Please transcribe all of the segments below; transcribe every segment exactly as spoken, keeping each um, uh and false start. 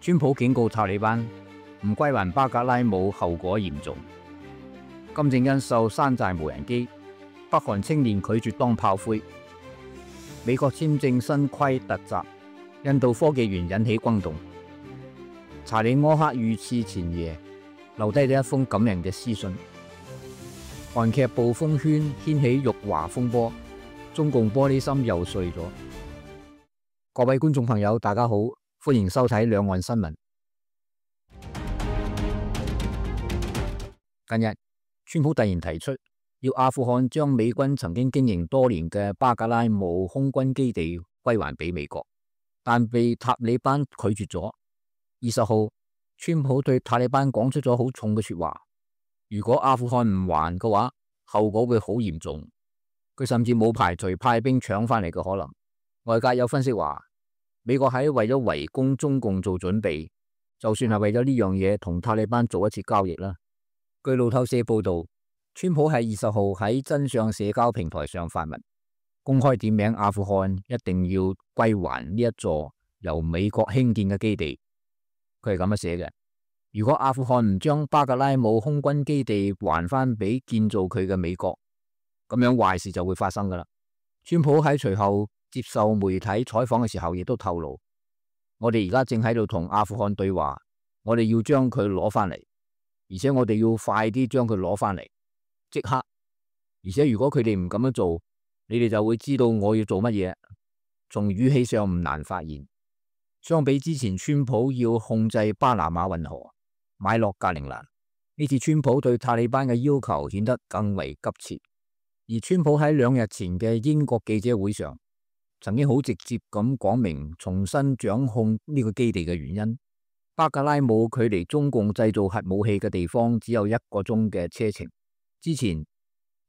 川普警告塔利班唔歸還巴格拉姆後果嚴重。金正恩售山寨無人機，北韓青年拒絕當炮灰。美國簽證新規突襲，印度科技園引起轟動。查理柯克遇刺前夜留低咗一封感人嘅私信。韓劇暴風圈掀起辱華風波，中共玻璃心又碎咗。各位觀眾朋友，大家好，歡迎收睇兩岸新聞。近日，川普突然提出要阿富汗將美軍曾經經營多年嘅巴格拉姆空軍基地歸還俾美國，但被塔利班拒絕咗。二十號，川普對塔利班講出咗好重嘅說話，如果阿富汗唔還嘅話，後果會好嚴重。佢甚至冇排除派兵搶翻嚟嘅可能。外界有分析話，美國喺為咗圍攻中共做準備，就算係為咗呢樣嘢同塔利班做一次交易啦。據路透社報道，川普喺二十號喺真相社交平台上發文，公開點名阿富汗一定要歸還呢一座由美國興建嘅基地。佢係咁樣寫嘅：如果阿富汗唔將巴格拉姆空軍基地還翻俾建造佢嘅美國，咁樣壞事就會發生噶啦。川普喺隨後接受媒體採訪嘅時候，亦都透露，我哋而家正喺度同阿富汗對話，我哋要將佢攞翻嚟，而且我哋要快啲將佢攞翻嚟，即刻。而且如果佢哋唔咁樣做，你哋就會知道我要做乜嘢。從語氣上唔難發現，相比之前川普要控制巴拿馬運河、買落格陵蘭，呢次川普對塔利班嘅要求顯得更為急切。而川普喺兩日前嘅英國記者會上，曾經好直接咁講明重新掌控呢個基地嘅原因。巴格拉姆距離中共製造核武器嘅地方只有一個鐘嘅車程。之前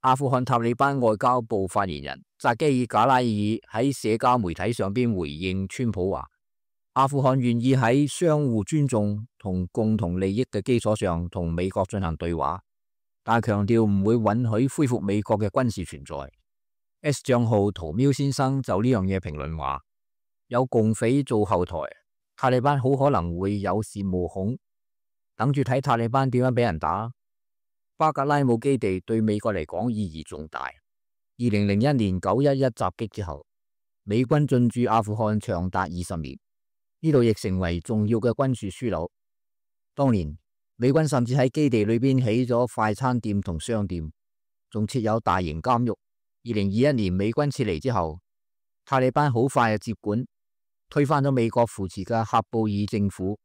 阿富汗塔利班外交部發言人扎基爾賈拉爾喺社交媒體上邊回應川普話，阿富汗願意喺相互尊重同共同利益嘅基礎上同美國進行對話，但係強調唔會允許恢復美國嘅軍事存在。S 賬號屠喵先生就呢樣嘢評論話，有共匪做後台，塔利班好可能會有恃無恐，等住睇塔利班點樣俾人打。巴格拉姆基地對美國嚟講意義重大。二零零一年九一一襲擊之後，美軍進駐阿富汗長達二十年，呢度亦成為重要嘅軍事樞紐。當年美軍甚至喺基地裏邊起咗快餐店同商店，仲設有大型監獄。二零二一年美軍撤離之後，塔利班好快就接管，推翻咗美國扶持嘅喀布爾政府。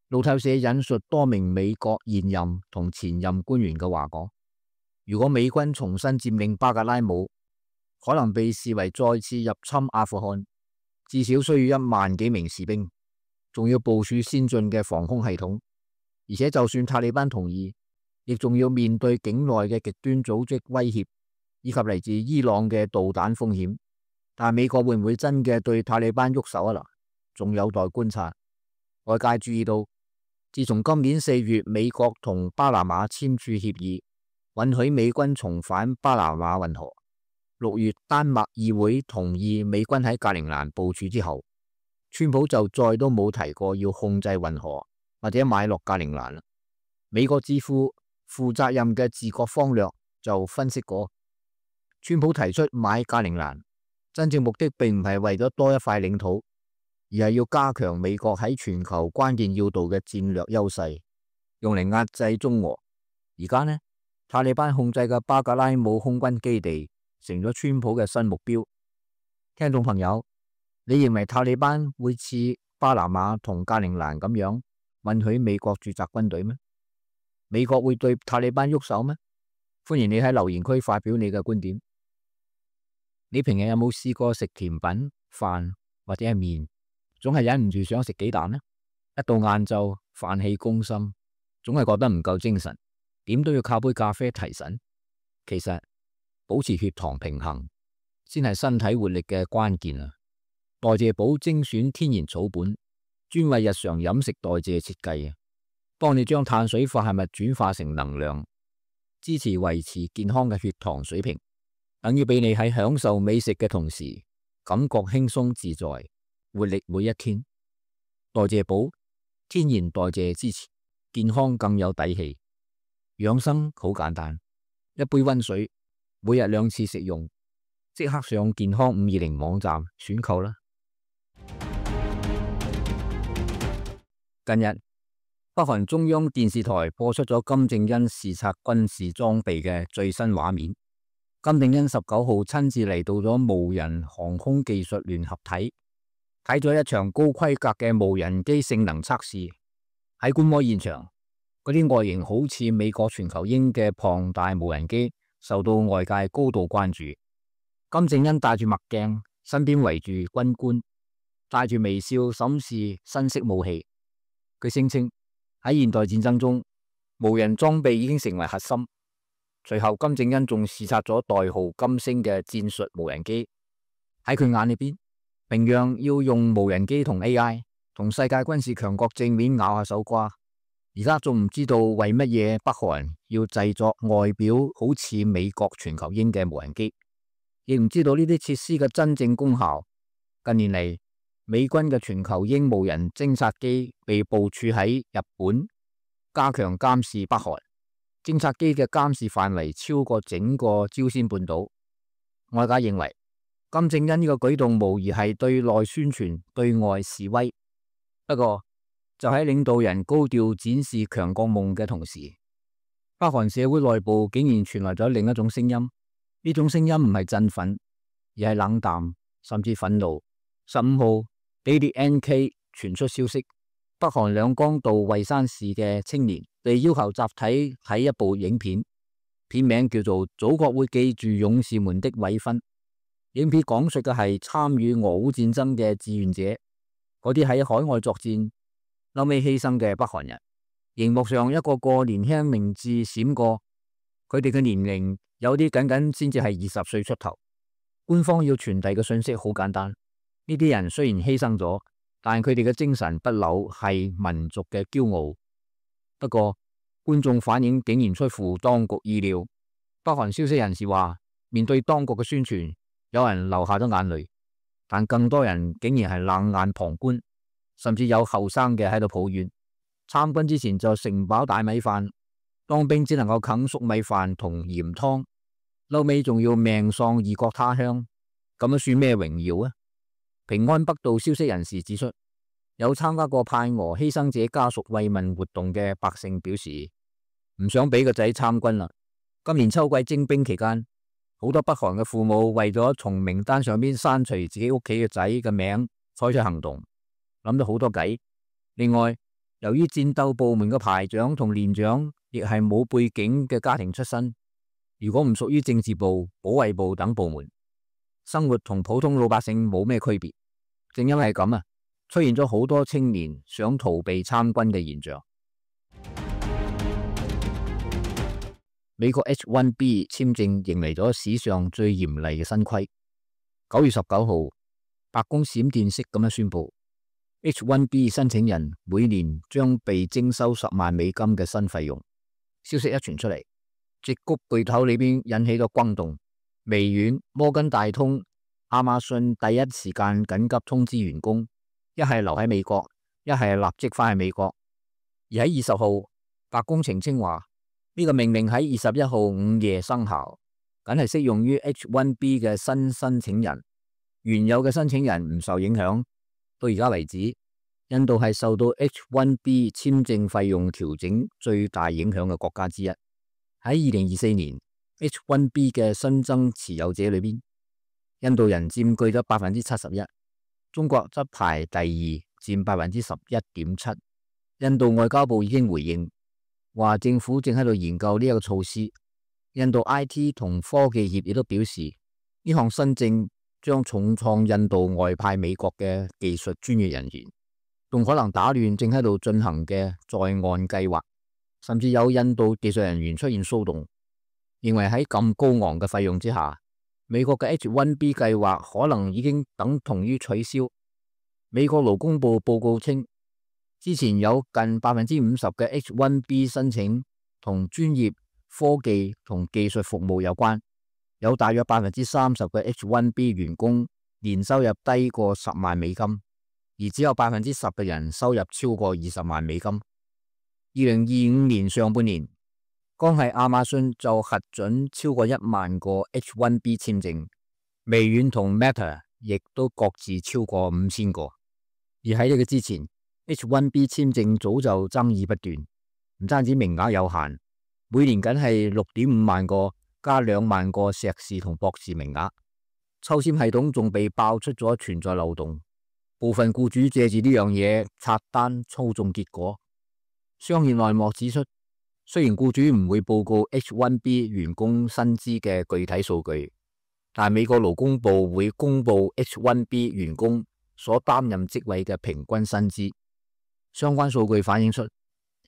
路透社引述多名美國現任同前任官員嘅話講，如果美軍重新佔領巴格拉姆，可能被視為再次入侵阿富汗，至少需要一萬幾名士兵，仲要部署先進嘅防空系統。而且就算塔利班同意，亦仲要面對境內嘅極端組織威脅，以及嚟自伊朗嘅導彈風險。但美國會唔會真嘅對塔利班喐手啊？嗱，仲有待觀察。外界注意到，自從今年四月美國同巴拿馬簽署協議，允許美軍重返巴拿馬運河，六月丹麥議會同意美軍喺格陵蘭部署之後，川普就再都冇提過要控制運河或者買落格陵蘭啦。美國智庫負責任嘅治國方略就分析過，川普提出買格陵蘭，真正目的並唔係為咗多一塊領土，而係要加強美國喺全球關鍵要道嘅戰略優勢，用嚟壓制中俄。而家呢，塔利班控制嘅巴格拉姆空軍基地成咗川普嘅新目標。聽眾朋友，你認為塔利班會似巴拿馬同格陵蘭咁樣允許美國駐紮軍隊咩？美國會對塔利班喐手咩？歡迎你喺留言區發表你嘅觀點。你平日有冇試過食甜品、飯或者係麵，總係忍唔住想食幾啖呢？一到晏晝，飯氣攻心，總係覺得唔夠精神，點都要靠杯咖啡提神。其實保持血糖平衡先係身體活力嘅關鍵啊！代謝寶精選天然草本，專為日常飲食代謝設計啊，幫你將碳水化合物轉化成能量，支持維持健康嘅血糖水平。等於俾你喺享受美食嘅同時，感覺輕鬆自在，活力每一天。代謝寶天然代謝支持，健康更有底氣。養生好簡單，一杯溫水，每日兩次食用，即刻上健康五二零網站選購啦。近日，北韓中央電視台播出咗金正恩視察軍事裝備嘅最新畫面。金正恩十九號親自嚟到咗無人航空技術聯合體，睇咗一場高規格嘅無人機性能測試。喺觀摩現場，嗰啲外形好似美國全球鷹嘅龐大無人機受到外界高度關注。金正恩戴住墨鏡，身邊圍住軍官，帶住微笑審視新式武器。佢聲稱喺現代戰爭中，無人裝備已經成為核心。隨後，金正恩仲視察咗代號金星嘅戰術無人機。喺佢眼裏邊，平壤要用無人機同 A I 同世界軍事強國正面咬下手瓜。而家仲唔知道為乜嘢北韓要製作外表好似美國全球鷹嘅無人機，亦唔知道呢啲設施嘅真正功效。近年嚟，美軍嘅全球鷹無人偵察機被部署喺日本，加強監視北韓。偵察機嘅監視範圍超過整個朝鮮半島。外界認為金正恩呢個舉動無疑係對內宣傳、對外示威。不過就喺領導人高調展示強國夢嘅同時，北韓社會內部竟然傳來咗另一種聲音。呢種聲音唔係振奮，而係冷淡，甚至憤怒。十五號，Daily N K 傳出消息，北韓兩江道蔚山市嘅青年被要求集體睇一部影片，片名叫做《祖國會記住勇士們的委勳》。影片講述嘅係參與俄烏戰爭嘅志願者，嗰啲喺海外作戰後尾犧牲嘅北韓人。熒幕上一個個年輕名字閃過，佢哋嘅年齡有啲僅僅先至係二十歲出頭。官方要傳遞嘅信息好簡單，呢啲人雖然犧牲咗，但佢哋嘅精神不朽，係民族嘅驕傲。不過觀眾反應竟然出乎當局意料。北韓消息人士話，面對當局嘅宣傳，有人流下咗眼淚，但更多人竟然係冷眼旁觀，甚至有後生嘅喺度抱怨，參軍之前就食唔飽大米飯，當兵只能夠啃粟米飯同鹽湯，後尾仲要命喪異國他鄉，咁樣算咩榮耀啊？平安北道消息人士指出，有參加過派俄犧牲者家屬慰問活動嘅百姓表示，唔想俾個仔參軍啦。今年秋季徵兵期間，好多北韓嘅父母為咗從名單上邊刪除自己屋企嘅仔嘅名，採取行動，諗咗好多計。另外，由於戰鬥部門嘅排長同連長亦係冇背景嘅家庭出身，如果唔屬於政治部、保衛部等部門，生活同普通老百姓冇咩區別。正因為咁啊，出現咗好多青年想逃避參軍嘅現象。美國 H 一 B 簽證迎嚟咗史上最嚴厲嘅新規。九月十九號，白宮閃電式咁樣宣布， H 一 B 申請人每年將被徵收十萬美金嘅新費用。消息一傳出嚟，矽谷巨頭裏邊引起咗轟動，微軟、摩根大通、亞馬遜第一時間緊急通知員工，一係留喺美國，一係立即翻去美國。而喺二十號，白宮澄清話，呢個命令喺二十一號午夜生效，僅係適用於 H 一 B 嘅新申請人，原有嘅申請人唔受影響。到而家為止，印度係受到 H 一 B 簽證費用調整最大影響嘅國家之一。喺二零二四年 H 一 B 嘅新增持有者裏邊，印度人佔據咗百分之七十一，中國則排第二，佔百分之十一點七。印度外交部已經回應，話政府正喺度研究呢一個措施。印度 I T 同科技業亦都表示，呢項新政將重創印度外派美國嘅技術專業人員，仲可能打亂正喺度進行嘅在岸計劃，甚至有印度技術人員出現騷動，認為喺咁高昂嘅費用之下，美國嘅 H 一 B 計劃可能已經等同於取消。美國勞工部報告稱，之前有近百分之五十嘅 H 一 B 申請同專業科技同技術服務有關，有大約百分之三十嘅 H 一 B 員工年收入低過十萬美金，而只有百分之十嘅人收入超過二十萬美金。二零二五年上半年，光係亞馬遜就核准超過一萬個 H 一 B 簽證，微軟同 Meta 亦都各自超過五千個。而喺呢個之前 ，H 一 B 簽證早就爭議不斷，唔單止名額有限，每年僅係六點五萬個加兩萬個碩士同博士名額。抽籤系統仲被爆出咗存在漏洞，部分僱主借住呢樣嘢刷單操縱結果。商業內幕指出，雖然僱主唔會報告 H 一 B 員工薪資嘅具體數據，但美國勞工部會公布 H 一 B 員工所擔任職位嘅平均薪資。相關數據反映出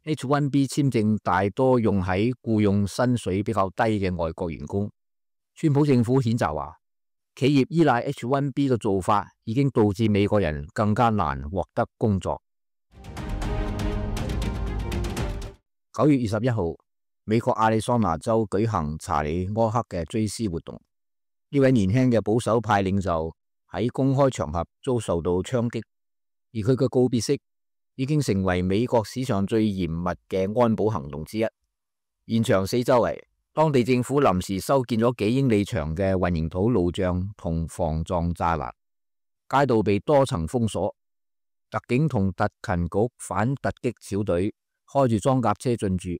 H 一 B 簽證大多用喺僱用薪水比較低嘅外國員工。川普政府譴責話，企業依賴 H 一 B 嘅做法已經導致美國人更加難獲得工作。九月二十一號，美國亞利桑那州舉行查理柯克嘅追思活動。呢位年輕嘅保守派領袖喺公開場合遭受到槍擊，而佢嘅告別式已經成為美國史上最嚴密嘅安保行動之一。現場四周圍，當地政府臨時修建咗幾英里長嘅混凝土路障同防撞柵欄，街道被多層封鎖。特警同特勤局反突擊小隊開住裝甲車進駐，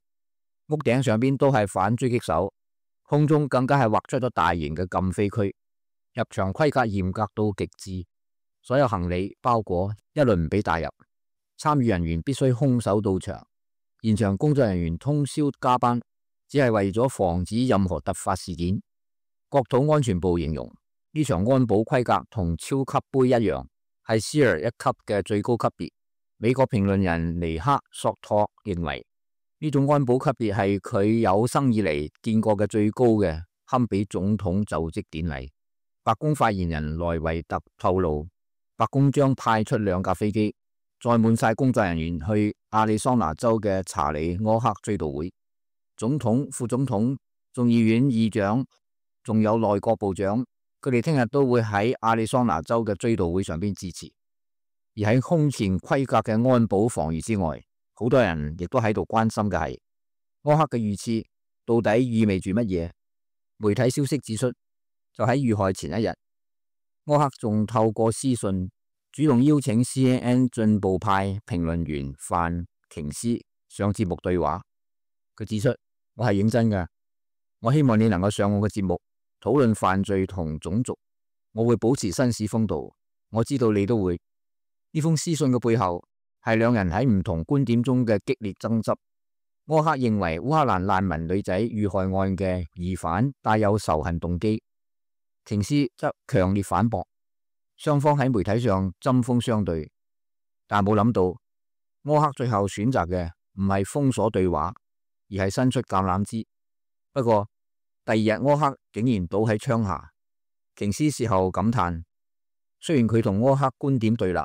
屋頂上邊都係反狙擊手，空中更加係劃出咗大型嘅禁飛區。入場規格嚴格到極致，所有行李包裹一律唔俾帶入，參與人員必須空手到場。現場工作人員通宵加班，只係為咗防止任何突發事件。國土安全部形容呢場安保規格同超級杯一樣，係 Sears 一級嘅最高級別。美國評論人尼克索托認為呢種安保級別係佢有生以嚟見過嘅最高嘅，堪比總統就職典禮。白宮發言人萊維特透露，白宮將派出兩架飛機，載滿晒工作人員去亞利桑那州嘅查理柯克追悼會。總統、副總統、眾議院議長，仲有內閣部長，佢哋聽日都會喺亞利桑那州嘅追悼會上邊致辭。而喺空前規格嘅安保防禦之外，好多人亦都喺度關心嘅係柯克嘅遇刺到底意味住乜嘢？媒體消息指出，就喺遇害前一日，柯克仲透過私信主動邀請 C N N 進步派評論員范瓊斯上節目對話。佢指出，我係認真㗎，我希望你能夠上我嘅節目討論犯罪同種族，我會保持紳士風度，我知道你都會。呢封私信嘅背後係兩人喺唔同觀點中嘅激烈爭執。柯克認為烏克蘭難民女仔遇害案嘅疑犯帶有仇恨動機，瓊斯則強烈反駁。雙方喺媒體上針鋒相對，但冇諗到柯克最後選擇嘅唔係封鎖對話，而係伸出橄欖枝。不過第二日柯克竟然倒喺槍下，瓊斯事後感嘆，雖然佢同柯克觀點對立，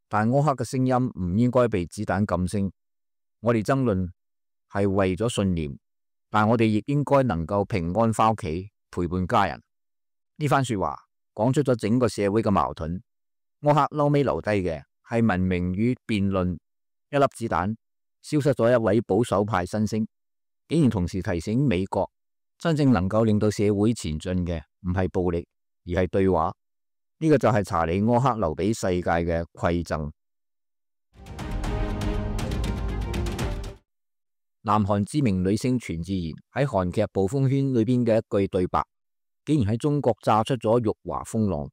但柯克嘅聲音唔應該被子彈禁聲。我哋爭論係為咗信念，但我哋亦應該能夠平安返屋企陪伴家人。呢番說話講出咗整個社會嘅矛盾。柯克嬲尾留低嘅係文明與辯論，一粒子彈消失咗一位保守派新星，竟然同時提醒美國，真正能夠令到社會前進嘅唔係暴力，而係對話。呢個就係查理柯克留俾世界嘅饋贈。南韓知名女星全智賢喺韓劇《暴風圈》裏邊嘅一句對白，竟然喺中國炸出咗辱華風浪，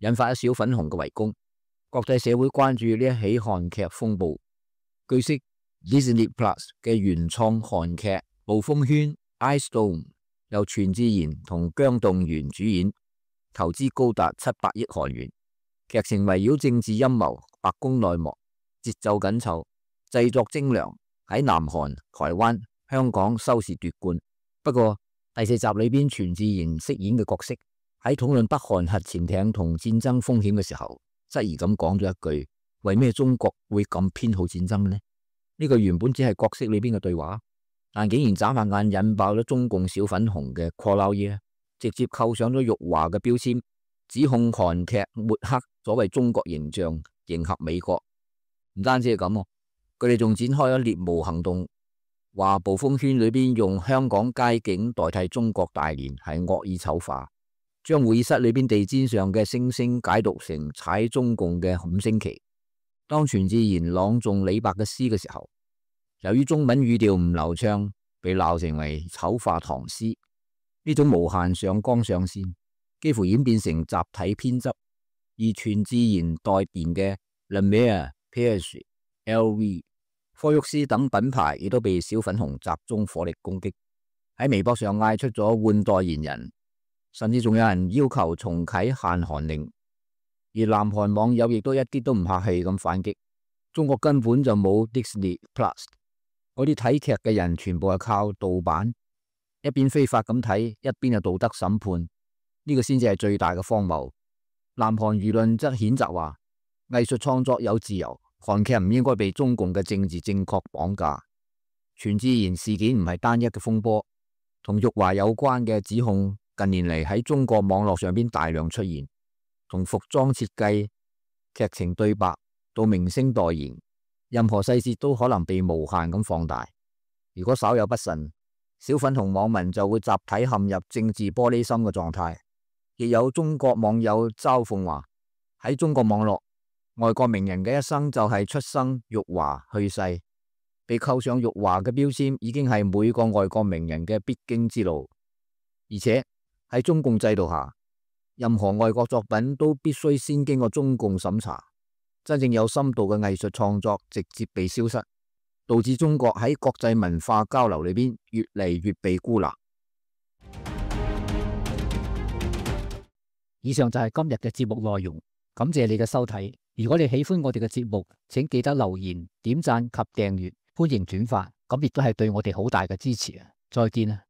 引發一小粉紅嘅圍攻。國際社會關注呢一起韓劇風暴。據悉 Disney Plus 嘅原創韓劇《暴風圈》Ice Storm 由全智賢同姜棟元主演，投資高達七百億韓元，劇情圍繞政治陰謀、白宮內幕，節奏緊湊，製作精良，喺南韓、台灣、香港收視奪冠。不過第四集裏邊全智賢飾演嘅角色喺討論北韓核潛艇同戰爭風險嘅時候，質疑咁講咗一句：為咩中國會咁偏好戰爭呢？呢個原本只係角色裏邊嘅對話，但竟然眨下眼引爆咗中共小粉紅嘅 call out 嘢，直接扣上咗辱華嘅標籤，指控韓劇抹黑所謂中國形象，迎合美國。唔單止係咁，佢哋仲展開咗獵巫行動，話暴風圈裏邊用香港街景代替中國大連係惡意醜化，將會議室裏邊地氈上嘅星星解讀成踩中共嘅五星旗。當全智賢朗誦李白嘅詩嘅時候，由於中文語調唔流暢，被鬧成為醜化唐詩。呢種無限上綱上線，幾乎演變成集體偏執。而全智賢代言嘅 La Mer、P.S.L V、科沃斯等品牌亦都被小粉紅集中火力攻擊，喺微博上嗌出咗換代言人，甚至仲有人要求重啟限韓令。而南韓網友亦都一啲都唔客氣咁反擊，中國根本就冇 Disney Plus， 嗰啲睇劇嘅人全部係靠盜版，一邊非法咁睇，一邊係道德審判，呢個先至係最大嘅荒謬。南韓輿論則譴責話，藝術創作有自由，韓劇唔應該被中共嘅政治正確綁架。全智賢事件唔係單一嘅風波，同辱華有關嘅指控近年嚟喺中國網絡上邊大量出現。從服裝設計、劇情對白到明星代言，任何細節都可能被無限咁放大。如果稍有不慎，小粉紅網民就會集體陷入政治玻璃心嘅狀態。亦有中國網友嘲諷話，喺中國網絡，外國名人嘅一生就係出生、辱華、去世，被扣上辱華嘅標籤已經係每個外國名人嘅必經之路。而且喺中共制度下，任何外國作品都必須先經過中共審查，真正有深度嘅藝術創作直接被消失，導致中國喺國際文化交流裏邊越嚟越被孤立。以上就係今日嘅節目內容，感謝你嘅收睇。如果你喜歡我哋嘅節目，請記得留言、點讚及訂閱，歡迎轉發，咁亦都係對我哋好大嘅支持啊！再見啊！